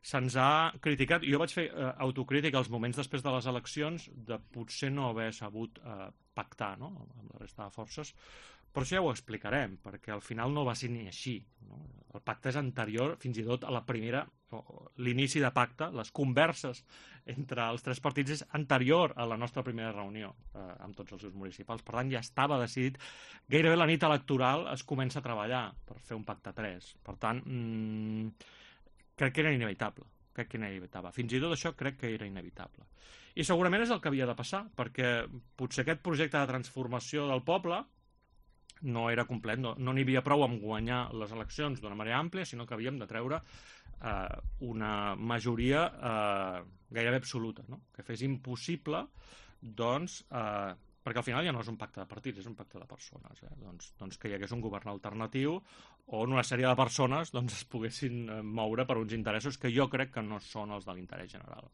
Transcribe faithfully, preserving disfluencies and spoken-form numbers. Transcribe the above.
se'ns ha criticat, jo vaig fer eh, autocrítica als moments després de les eleccions de potser no haver sabut eh, pactar, no?, amb la resta de forces, però això ja ho explicarem, perquè al final no va ser ni així, no? El pacte és anterior fins i tot a la primera, l'inici de pacte, les converses entre els tres partits és anterior a la nostra primera reunió eh, amb tots els seus municipals. Per tant, ja estava decidit. Gairebé la nit electoral es comença a treballar per fer un pacte tres. Per tant, mmm, crec que era inevitable. Crec que era inevitable. Fins i tot això crec que era inevitable. I segurament és el que havia de passar, perquè potser aquest projecte de transformació del poble no era complet, no n'hi havia prou amb guanyar les eleccions d'una manera àmplia, sinó que havíem de treure eh, una majoria eh, gairebé absoluta, no?, que fes impossible, doncs, eh, perquè al final ja no és un pacte de partits, és un pacte de persones, eh? doncs, doncs que hi hagués un govern alternatiu on una sèrie de persones doncs, es poguessin moure per uns interessos que jo crec que no són els de l'interès general.